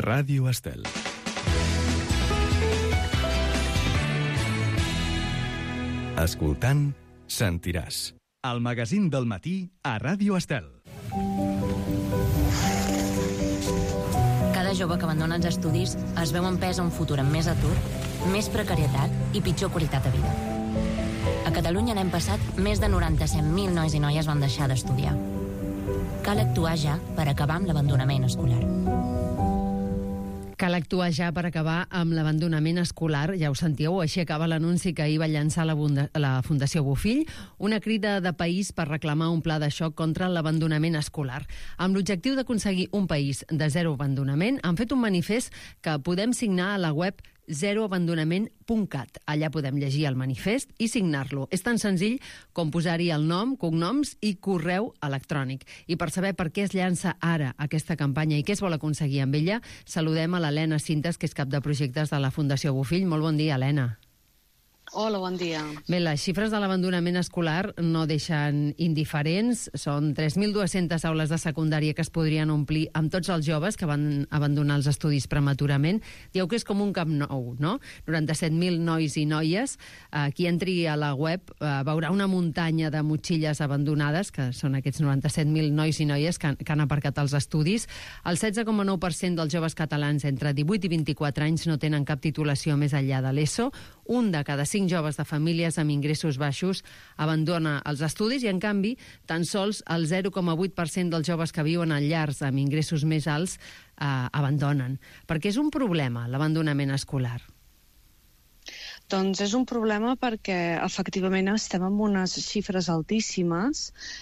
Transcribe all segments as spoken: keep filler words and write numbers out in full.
Ràdio Estel. Escoltant, sentiràs. El magazín del matí a Ràdio Estel. Cada jove que abandona els estudis es veu empès a un futur amb més atur, més precarietat i pitjor qualitat de vida. A Catalunya l'any passat, més de noranta-set mil nois i noies van deixar d'estudiar. Cal actuar ja per acabar amb l'abandonament escolar. Cal actuar ja per acabar amb l'abandonament escolar, ja ho sentíeu, així acaba l'anunci que ahir va llançar la, la Fundació Bofill, una crida de país per reclamar un pla de xoc contra l'abandonament escolar. Amb l'objectiu d'aconseguir un país de zero abandonament, han fet un manifest que podem signar a la web zero abandonament punt cat. Allà podem llegir el manifest i signar-lo. És tan senzill com posar-hi el nom, cognoms i correu electrònic. I per saber per què es llança ara aquesta campanya i què es vol aconseguir amb ella, saludem a l'Helena Cintas, que és cap de projectes de la Fundació Bofill. Molt bon dia, Helena. Hola, bon dia. Bé, les xifres de l'abandonament escolar no deixen indiferents. Són tres mil dues-centes aules de secundària que es podrien omplir amb tots els joves que van abandonar els estudis prematurament. Dieu que és com un camp nou, no? noranta-set mil nois i noies. Qui entri a la web veurà una muntanya de motxilles abandonades, que són aquests noranta-set mil nois i noies que han, que han aparcat els estudis. El setze coma nou per cent dels joves catalans entre divuit i vint-i-quatre anys no tenen cap titulació més enllà de l'ESO. Un de cada cinc joves de famílies amb ingressos baixos abandona els estudis i, en canvi, tan sols el zero coma vuit per cent dels joves que viuen en llars amb ingressos més alts eh, abandonen. Perquè és un problema, l'abandonament escolar. Doncs és un problema perquè efectivament estem amb unes xifres altíssimes,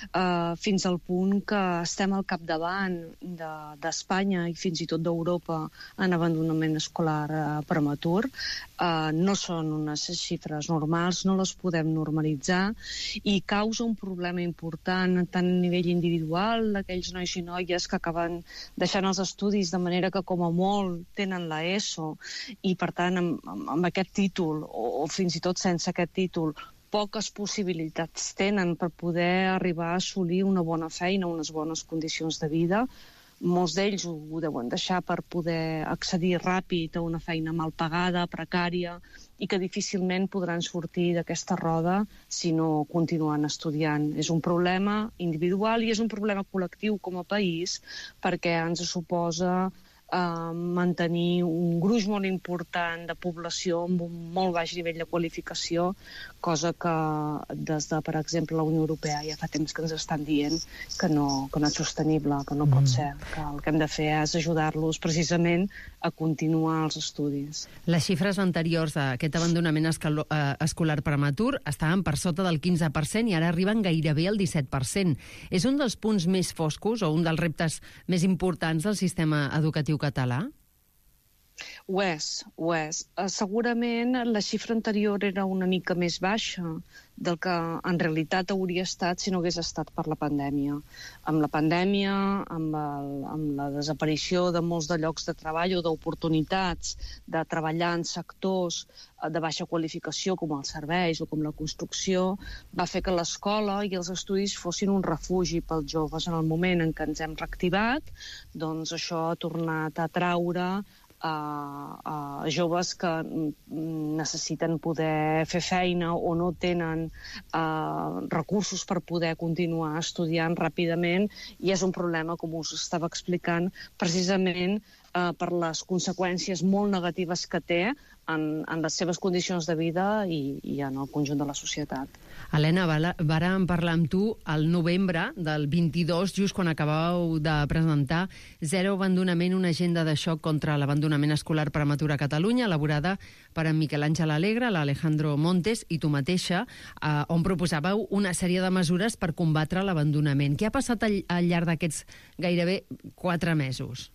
eh, fins al punt que estem al capdavant de, d'Espanya i fins i tot d'Europa en abandonament escolar eh, prematur. Eh, no són unes xifres normals, no les podem normalitzar i causa un problema important tant a nivell individual d'aquells nois i noies que acaben deixant els estudis de manera que com a molt tenen l'ESO i per tant amb, amb, amb aquest títol o, o fins i tot sense aquest títol, poques possibilitats tenen per poder arribar a assolir una bona feina, unes bones condicions de vida. Molts d'ells ho, ho deuen deixar per poder accedir ràpid a una feina mal pagada, precària, i que difícilment podran sortir d'aquesta roda si no continuen estudiant. És un problema individual i és un problema col·lectiu com a país perquè ens suposa Uh, mantenir un gruix molt important de població amb un molt baix nivell de qualificació, cosa que des de, per exemple, la Unió Europea ja fa temps que ens estan dient que no, que no és sostenible, que no mm. pot ser, que el que hem de fer és ajudar-los precisament a continuar els estudis. Les xifres anteriors d'aquest abandonament escalo, eh, escolar prematur estaven per sota del quinze per cent i ara arriben gairebé al disset per cent. És un dels punts més foscos o un dels reptes més importants del sistema educatiu català? Ho és, ho és. Segurament la xifra anterior era una mica més baixa del que en realitat hauria estat si no hagués estat per la pandèmia. Amb la pandèmia, amb, el, amb la desaparició de molts de llocs de treball o d'oportunitats de treballar en sectors de baixa qualificació com els serveis o com la construcció, va fer que l'escola i els estudis fossin un refugi pels joves. En el moment en què ens hem reactivat, doncs això ha tornat a atraure a, a joves que necessiten poder fer feina o no tenen uh, recursos per poder continuar estudiant ràpidament, i és un problema, com us estava explicant, precisament uh, per les conseqüències molt negatives que té en, en les seves condicions de vida i, i en el conjunt de la societat. Helena, vàrem parlar amb tu al novembre del vint-i-dos, just quan acabàveu de presentar Zero Abandonament, una agenda de xoc contra l'abandonament escolar prematur a Catalunya, elaborada per en Miquel Àngel Alegre, l'Alejandro Montes i tu mateixa, eh, on proposàveu una sèrie de mesures per combatre l'abandonament. Què ha passat al, al llarg d'aquests gairebé quatre mesos?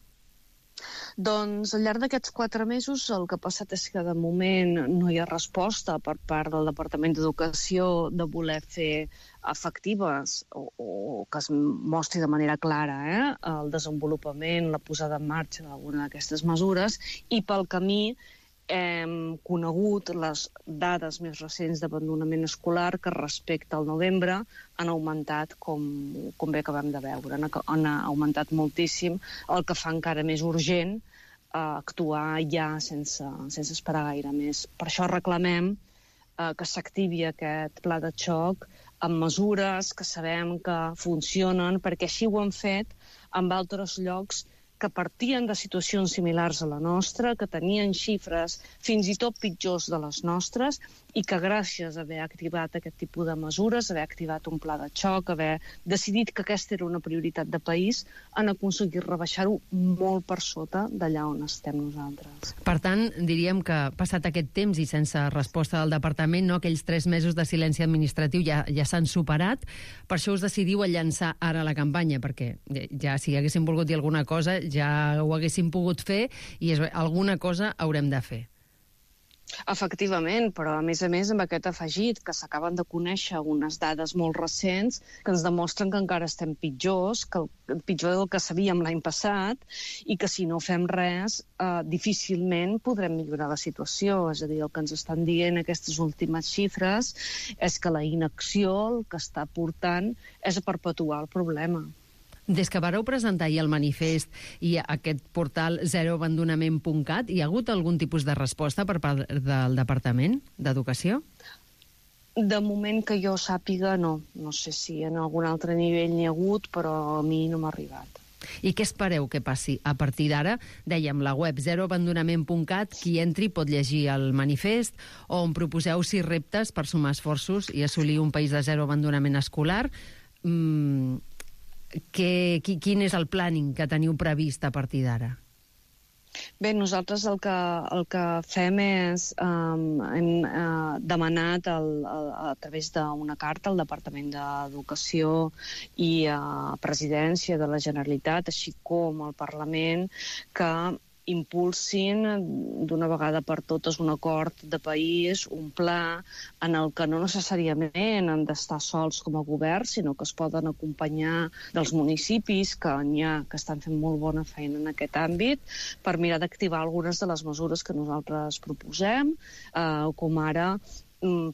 Doncs al llarg d'aquests quatre mesos el que ha passat és que de moment no hi ha resposta per part del Departament d'Educació de voler fer efectives o, o que es mostri de manera clara eh, el desenvolupament, la posada en marxa d'alguna d'aquestes mesures, i pel camí hem conegut les dades més recents d'abandonament escolar que respecte al novembre han augmentat, com, com bé acabem de veure, han, han augmentat moltíssim, el que fa encara més urgent a actuar ja sense, sense esperar gaire més. Per això reclamem eh, que s'activi aquest pla de xoc amb mesures que sabem que funcionen, perquè així ho han fet en altres llocs que partien de situacions similars a la nostra, que tenien xifres fins i tot pitjors de les nostres, i que gràcies a haver activat aquest tipus de mesures, haver activat un pla de xoc, haver decidit que aquesta era una prioritat de país, han aconseguit rebaixar-ho molt per sota d'allà on estem nosaltres. Per tant, diríem que passat aquest temps i sense resposta del departament, no, aquells tres mesos de silenci administratiu ja, ja s'han superat, per això us decidiu a llançar ara la campanya, perquè ja si haguéssim volgut dir alguna cosa ja ho haguéssim pogut fer i és, alguna cosa haurem de fer. Efectivament, però a més a més amb aquest afegit que s'acaben de conèixer unes dades molt recents que ens demostren que encara estem pitjors, que el, pitjor del que sabíem l'any passat, i que si no fem res eh, difícilment podrem millorar la situació. És a dir, el que ens estan dient aquestes últimes xifres és que la inacció el que està portant és a perpetuar el problema. Des que vareu presentar ahir el manifest i aquest portal zero abandonament punt cat, hi ha hagut algun tipus de resposta per part del Departament d'Educació? De moment que jo sàpiga, no. No sé si en algun altre nivell n'hi ha hagut, però a mi no m'ha arribat. I què espereu que passi a partir d'ara? Dèiem, la web zero abandonament punt cat, qui entri pot llegir el manifest, on proposeu sis reptes per sumar esforços i assolir un país de zero abandonament escolar. Mm, Que, quin és el planning que teniu previst a partir d'ara? Bé, nosaltres el que, el que fem és, um, hem uh, demanat el, el, a través d'una carta al Departament d'Educació i a Presidència de la Generalitat, així com al Parlament, que impulsin d'una vegada per totes un acord de país, un pla en el que no necessàriament han d'estar sols com a govern, sinó que es poden acompanyar dels municipis que n'hi ha que estan fent molt bona feina en aquest àmbit per mirar d'activar algunes de les mesures que nosaltres proposem, eh, com ara,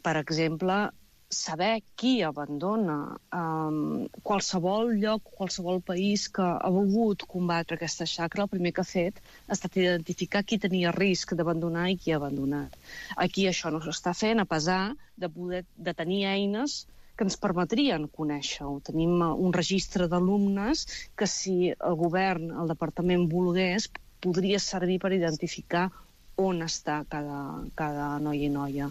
per exemple, saber qui abandona. Um, qualsevol lloc, qualsevol país que ha volgut combatre aquesta xacra, el primer que ha fet ha estat identificar qui tenia risc d'abandonar i qui ha abandonat. Aquí això no s'està fent, a pesar de poder de tenir eines que ens permetrien conèixer-ho. Tenim un registre d'alumnes que si el govern, el departament volgués, podria servir per identificar on està cada, cada noi i noia.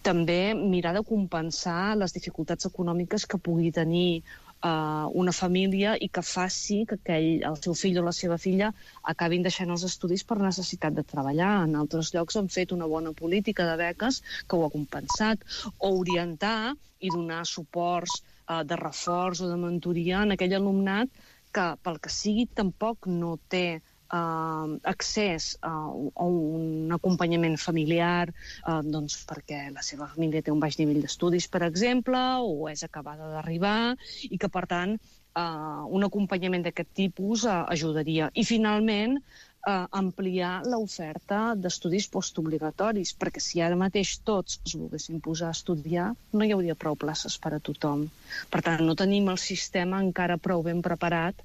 També mirar de compensar les dificultats econòmiques que pugui tenir uh, una família i que faci que aquell, el seu fill o la seva filla acabin deixant els estudis per necessitat de treballar. En altres llocs han fet una bona política de beques que ho ha compensat. O orientar i donar suports uh, de reforç o de mentoria en aquell alumnat que, pel que sigui, tampoc no té Uh, accés uh, a un acompanyament familiar, uh, doncs perquè la seva família té un baix nivell d'estudis, per exemple, o és acabada d'arribar, i que, per tant, uh, un acompanyament d'aquest tipus uh, ajudaria. I, finalment, uh, ampliar l'oferta d'estudis postobligatoris, perquè si ara mateix tots es volguessin posar a estudiar, no hi hauria prou places per a tothom. Per tant, no tenim el sistema encara prou ben preparat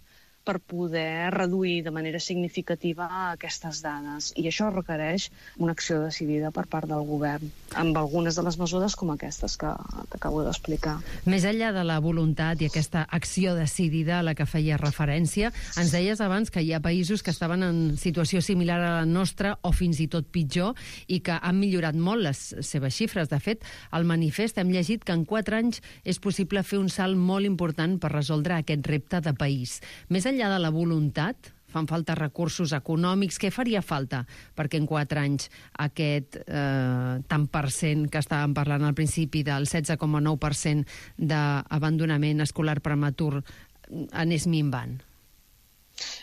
per poder reduir de manera significativa aquestes dades. I això requereix una acció decidida per part del govern, amb algunes de les mesures com aquestes que t'acabo d'explicar. Més enllà de la voluntat i aquesta acció decidida a la que feia referència, ens deies abans que hi ha països que estaven en situació similar a la nostra o fins i tot pitjor i que han millorat molt les seves xifres. De fet, al manifest hem llegit que en quatre anys és possible fer un salt molt important per resoldre aquest repte de país. Més enllà de la voluntat, fan falta recursos econòmics. Què faria falta perquè en quatre anys aquest eh, tant per cent que estàvem parlant al principi del setze coma nou per cent d'abandonament escolar prematur anés minvant?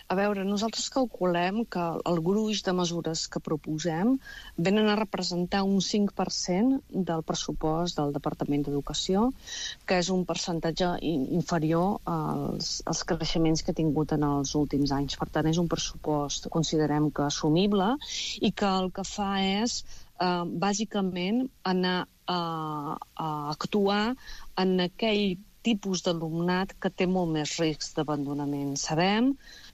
A veure, nosaltres calculem que el gruix de mesures que proposem venen a representar un cinc per cent del pressupost del Departament d'Educació, que és un percentatge inferior als, als creixements que ha tingut en els últims anys. Per tant, és un pressupost, considerem que assumible, i que el que fa és, eh, bàsicament, anar a, a actuar en aquell tipus d'alumnat que té molt més risc d'abandonament. Sabem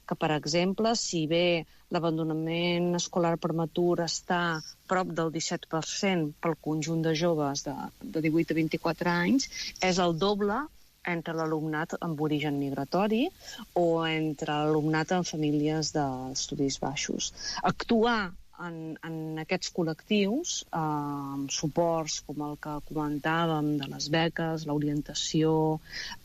que, per exemple, si bé l'abandonament escolar prematur està prop del disset per cent pel conjunt de joves de, de divuit a vint-i-quatre anys, és el doble entre l'alumnat amb origen migratori o entre l'alumnat en famílies d'estudis baixos. Actuar en, en aquests col·lectius, eh, amb suports com el que comentàvem de les beques, l'orientació,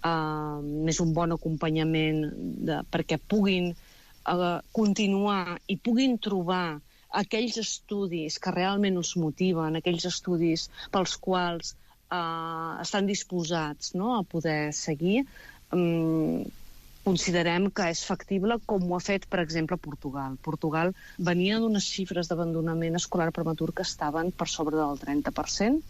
eh, més un bon acompanyament de, perquè puguin eh, continuar i puguin trobar aquells estudis que realment us motiven, aquells estudis pels quals Uh, estan disposats, no?, a poder seguir, um, considerem que és factible, com ho ha fet, per exemple, Portugal. Portugal venia d'unes xifres d'abandonament escolar prematur que estaven per sobre del trenta per cent,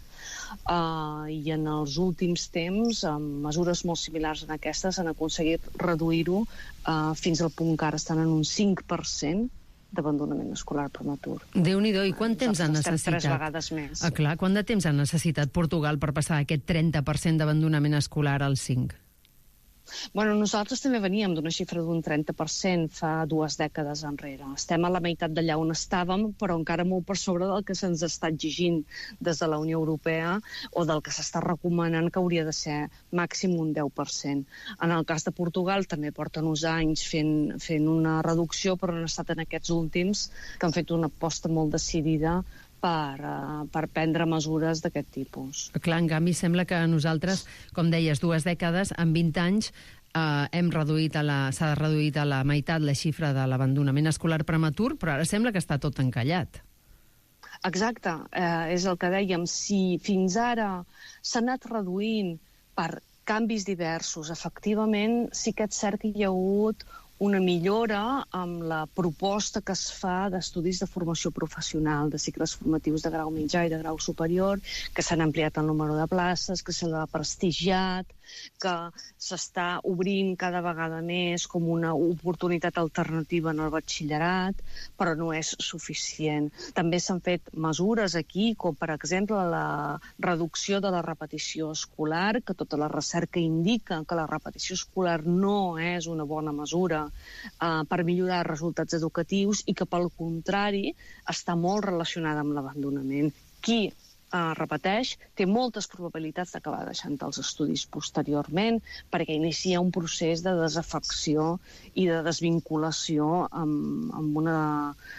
uh, i en els últims temps, amb mesures molt similars a aquestes, han aconseguit reduir-ho uh, fins al punt que ara estan en un cinc per cent d'abandonament escolar prematur. Déu-n'hi-do, i quant temps ha necessitat? Tres vegades més. Ah, clar, quant de temps ha necessitat Portugal per passar aquest trenta per cent d'abandonament escolar al cinc? Bueno, nosaltres també veníem d'una xifra d'un trenta per cent fa dues dècades enrere. Estem a la meitat d'allà on estàvem, però encara molt per sobre del que se'ns està exigint des de la Unió Europea o del que s'està recomanant que hauria de ser màxim un deu per cent. En el cas de Portugal també porten uns anys fent, fent una reducció, però han estat en aquests últims que han fet una aposta molt decidida Per, uh, per prendre mesures d'aquest tipus. Clar, en canvi, sembla que nosaltres, com deies, dues dècades, en vint anys, uh, hem reduït a la, s'ha reduït a la meitat la xifra de l'abandonament escolar prematur, però ara sembla que està tot encallat. Exacte, eh, és el que dèiem. Si fins ara s'ha anat reduint per canvis diversos, efectivament, sí que és cert que hi ha hagut una millora amb la proposta que es fa d'estudis de formació professional, de cicles formatius de grau mitjà i de grau superior, que s'han ampliat el número de places, que se l'ha prestigiat, que s'està obrint cada vegada més com una oportunitat alternativa en el batxillerat, però no és suficient. També s'han fet mesures aquí, com per exemple la reducció de la repetició escolar, que tota la recerca indica que la repetició escolar no és una bona mesura Uh, per millorar els resultats educatius i que, pel contrari, està molt relacionada amb l'abandonament. Qui uh, repeteix té moltes probabilitats d'acabar deixant els estudis posteriorment perquè inicia un procés de desafecció i de desvinculació amb, amb, una,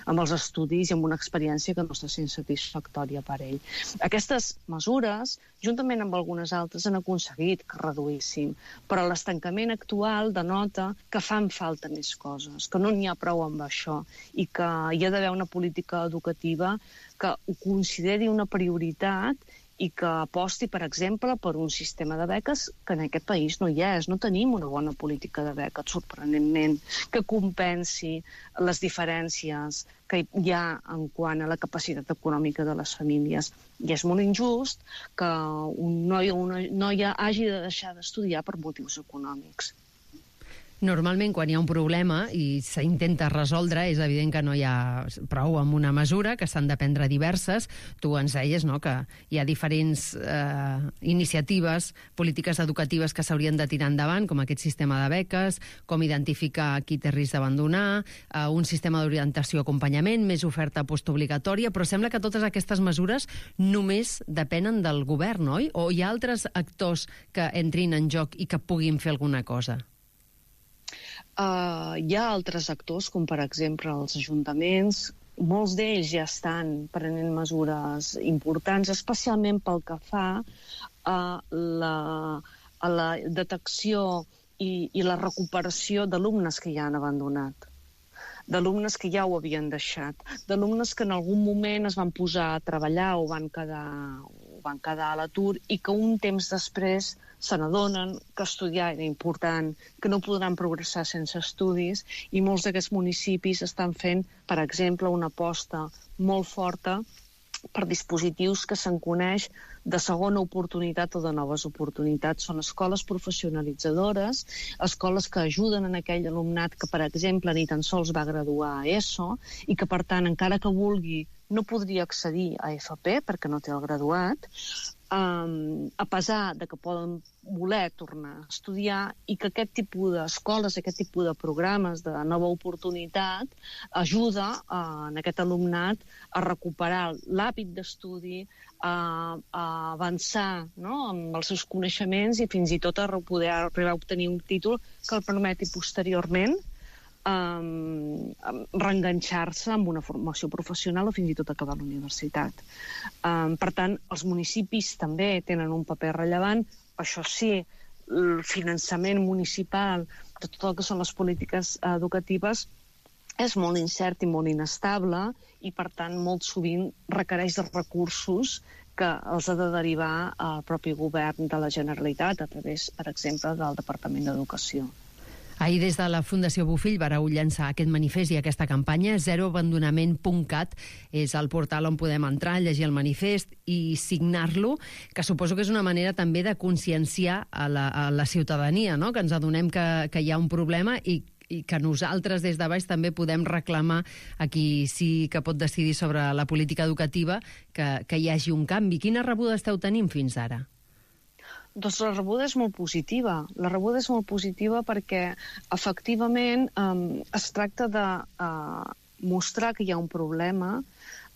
amb els estudis i amb una experiència que no està sent satisfactòria per ell. Aquestes mesures, juntament amb algunes altres, han aconseguit que reduïssin, però l'estancament actual denota que fan falta més coses, que no n'hi ha prou amb això i que hi ha d'haver una política educativa que ho consideri una prioritat i que aposti, per exemple, per un sistema de beques que en aquest país no hi és. No tenim una bona política de beques, sorprenentment, que compensi les diferències que hi ha en quant a la capacitat econòmica de les famílies. I és molt injust que un noi o una noia hagi de deixar d'estudiar per motius econòmics. Normalment, quan hi ha un problema i s'intenta resoldre, és evident que no hi ha prou amb una mesura, que s'han de prendre diverses. Tu ens deies, no?, que hi ha diferents eh, iniciatives, polítiques educatives que s'haurien de tirar endavant, com aquest sistema de beques, com identificar qui té risc d'abandonar, eh, un sistema d'orientació i acompanyament, més oferta postobligatòria, però sembla que totes aquestes mesures només depenen del govern, oi? O hi ha altres actors que entrin en joc i que puguin fer alguna cosa? Uh, hi ha altres actors, com per exemple els ajuntaments. Molts d'ells ja estan prenent mesures importants, especialment pel que fa a la, a la detecció i, i la recuperació d'alumnes que ja han abandonat, d'alumnes que ja ho havien deixat, d'alumnes que en algun moment es van posar a treballar o van quedar, o van quedar a l'atur i que un temps després se n'adonen que estudiar era important, que no podran progressar sense estudis, i molts d'aquests municipis estan fent, per exemple, una aposta molt forta per dispositius que se'n coneix de segona oportunitat o de noves oportunitats. Són escoles professionalitzadores, escoles que ajuden en aquell alumnat que, per exemple, ni tan sols va graduar a ESO i que, per tant, encara que vulgui no podria accedir a F P perquè no té el graduat, um, a pesar de que poden voler tornar a estudiar, i que aquest tipus d'escoles, aquest tipus de programes de nova oportunitat ajuda uh, en aquest alumnat a recuperar l'hàbit d'estudi, a, a avançar, no?, amb els seus coneixements i fins i tot a poder arribar a obtenir un títol que el permeti posteriorment Um, reenganxar-se amb una formació professional o fins i tot acabar la universitat. Um, per tant, els municipis també tenen un paper rellevant. Això sí, el finançament municipal de tot el que són les polítiques educatives és molt incert i molt inestable i, per tant, molt sovint requereix de recursos que els ha de derivar al propi govern de la Generalitat a través, per exemple, del Departament d'Educació. Ahir, des de la Fundació Bofill, vareu llançar aquest manifest i aquesta campanya. zero abandonament punt cat és el portal on podem entrar, llegir el manifest i signar-lo, que suposo que és una manera també de conscienciar a la, a la ciutadania, no?, que ens adonem que, que hi ha un problema i, i que nosaltres des de baix també podem reclamar a qui sí que pot decidir sobre la política educativa que, que hi hagi un canvi. Quina rebuda esteu tenint fins ara? Doncs la rebuda és molt positiva. La rebuda és molt positiva perquè, efectivament, eh, es tracta de eh, mostrar que hi ha un problema,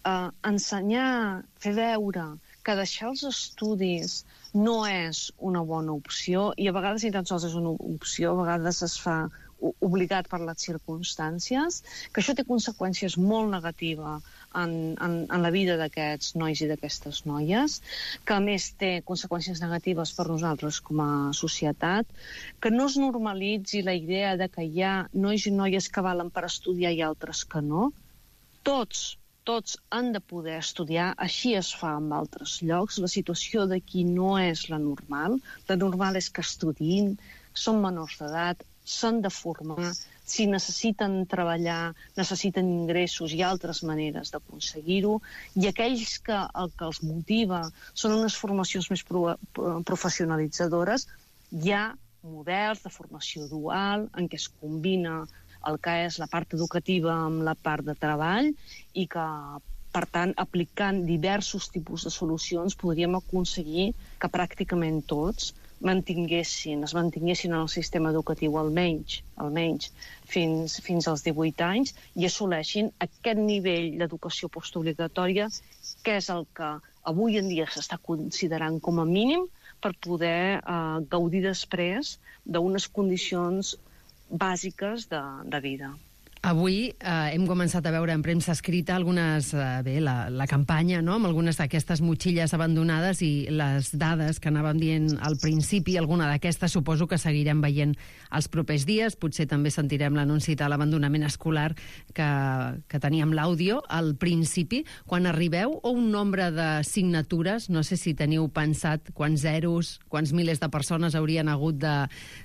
eh, ensenyar, fer veure que deixar els estudis no és una bona opció, i a vegades ni tan sols és una opció, a vegades es fa obligat per les circumstàncies, que això té conseqüències molt negatives en, en, en la vida d'aquests nois i d'aquestes noies, que a més té conseqüències negatives per nosaltres com a societat, que no es normalitzi la idea de que hi ha nois i noies que valen per estudiar i altres que no. Tots, tots han de poder estudiar, així es fa en altres llocs. La situació d'aquí no és la normal. La normal és que estudiïn, són menors d'edat, s'han de formar, si necessiten treballar, necessiten ingressos i altres maneres d'aconseguir-ho, i aquells que el que els motiva són unes formacions més pro professionalitzadores, hi ha models de formació dual en què es combina el que és la part educativa amb la part de treball i que, per tant, aplicant diversos tipus de solucions podríem aconseguir que pràcticament tots mantinguessin, es mantinguessin en el sistema educatiu almenys, almenys fins, fins als divuit anys i assoleixin aquest nivell d'educació postobligatòria que és el que avui en dia s'està considerant com a mínim per poder eh, gaudir després d'unes condicions bàsiques de, de vida. Avui eh, hem començat a veure en premsa escrita algunes, eh, bé, la, la campanya, no?, amb algunes d'aquestes motxilles abandonades i les dades que anàvem dient al principi, alguna d'aquestes suposo que seguirem veient els propers dies, potser també sentirem l'anunci de l'abandonament escolar que, que teníem l'àudio al principi. Quan arribeu a un nombre de signatures, no sé si teniu pensat quants zeros, quants milers de persones haurien hagut de,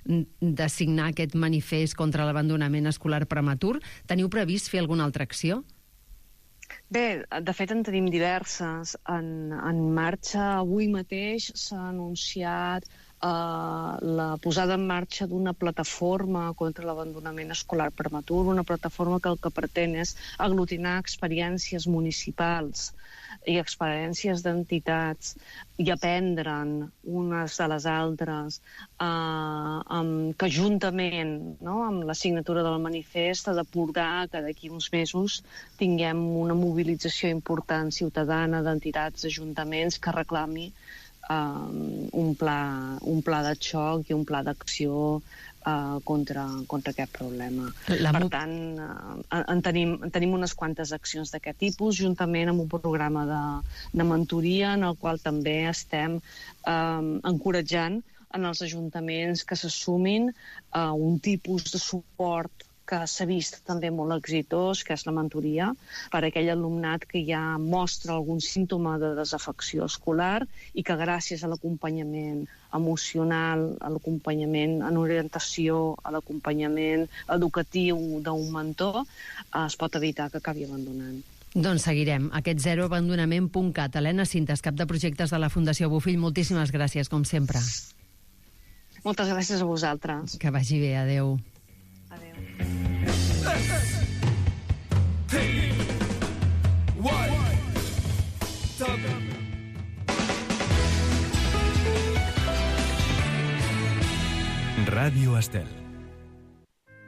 de signar aquest manifest contra l'abandonament escolar prematur, teniu previst fer alguna altra acció? Bé, de fet en tenim diverses en, en marxa. Avui mateix s'ha anunciat eh, la posada en marxa d'una plataforma contra l'abandonament escolar prematur, una plataforma que el que pretén és aglutinar experiències municipals i experiències d'entitats i aprendre'n unes de les altres, eh, amb, que juntament, no?, amb la signatura del manifest ha de portar que d'aquí uns mesos tinguem una mobilització important ciutadana d'entitats, d'ajuntaments que reclami eh, un, pla, un pla de xoc i un pla d'acció Uh, contra, contra aquest problema. La... Per tant, uh, en, tenim, en tenim unes quantes accions d'aquest tipus, juntament amb un programa de, de mentoria en el qual també estem uh, encoratjant en els ajuntaments que s'assumin a uh, un tipus de suport que s'ha vist també molt exitós, que és la mentoria, per a aquell alumnat que ja mostra algun símptoma de desafecció escolar i que gràcies a l'acompanyament emocional, a l'acompanyament en orientació, a l'acompanyament educatiu d'un mentor, es pot evitar que acabi abandonant. Doncs seguirem. Aquest zero abandonament punt cat. Helena Cintas, cap de projectes de la Fundació Bofill, moltíssimes gràcies, com sempre. Moltes gràcies a vosaltres. Que vagi bé, adeu. Adéu. Ràdio Estel.